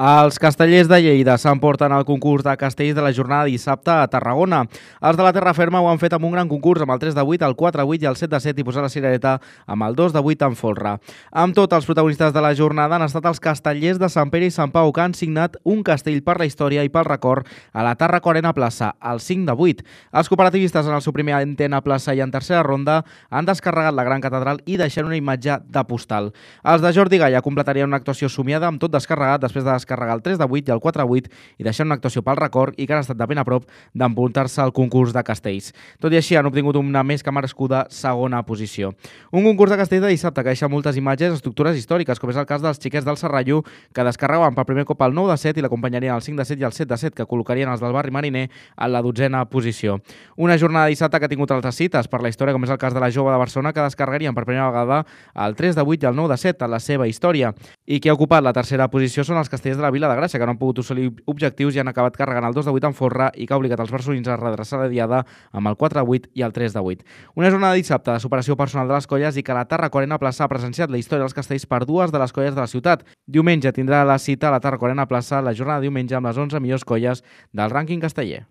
Els castellers de Lleida s'emporten el concurs de castells de la jornada dissabte a Tarragona. Els de la terra ferma ho han fet amb un gran concurs amb el 3 de 8, el 4 de 8 i el 7 de 7 i posar la cirereta amb el 2 de 8 en folre. Amb tot, els protagonistes de la jornada han estat els castellers de Sant Pere i Sant Pau, que han signat un castell per la història i pel record a la Tarraco Arena Plaça, el 5 de 8. Els cooperativistes en el seu primer intent a plaça i en tercera ronda han descarregat la gran catedral i deixant una imatge de postal. Els de Jordi Galla completarien una actuació somiada amb tot descarregat després de descarregar el 3 de 8 i el 4 de 8 i deixant una actuació pel record i que han estat de ben a prop d'empuntar-se al concurs de castells. Tot i així, han obtingut una més que merescuda segona posició. Un concurs de castells de dissabte que deixa moltes imatges estructures històriques, com és el cas dels xiquets del Serrallo, que descarregaven per primer cop el 9 de 7 i l'acompanyarien el 5 de 7 i el 7 de 7, que col·locarien els del barri mariner en la 12a posició. Una jornada de dissabte que ha tingut altres cites per la història, com és el cas de la jove de Barcelona, que descarregarien per primera vegada el 3 de 8 i el 9 de 7 en la seva història. I qui ha ocupat la tercera posició són els castellers de la Vila de Gràcia, que no han pogut assolir objectius i han acabat carregant el 2 de 8 en folre i que ha obligat els barcelonins a redreçar la diada amb el 4 de 8 i el 3 de 8. Una jornada de dissabte de superació personal de les colles i que la Tarraco Arena Plaça ha presenciat la història dels castells per dues de les colles de la ciutat. Diumenge tindrà la cita a la Tarraco Arena Plaça la jornada de diumenge amb les 11 millors colles del rànquing casteller.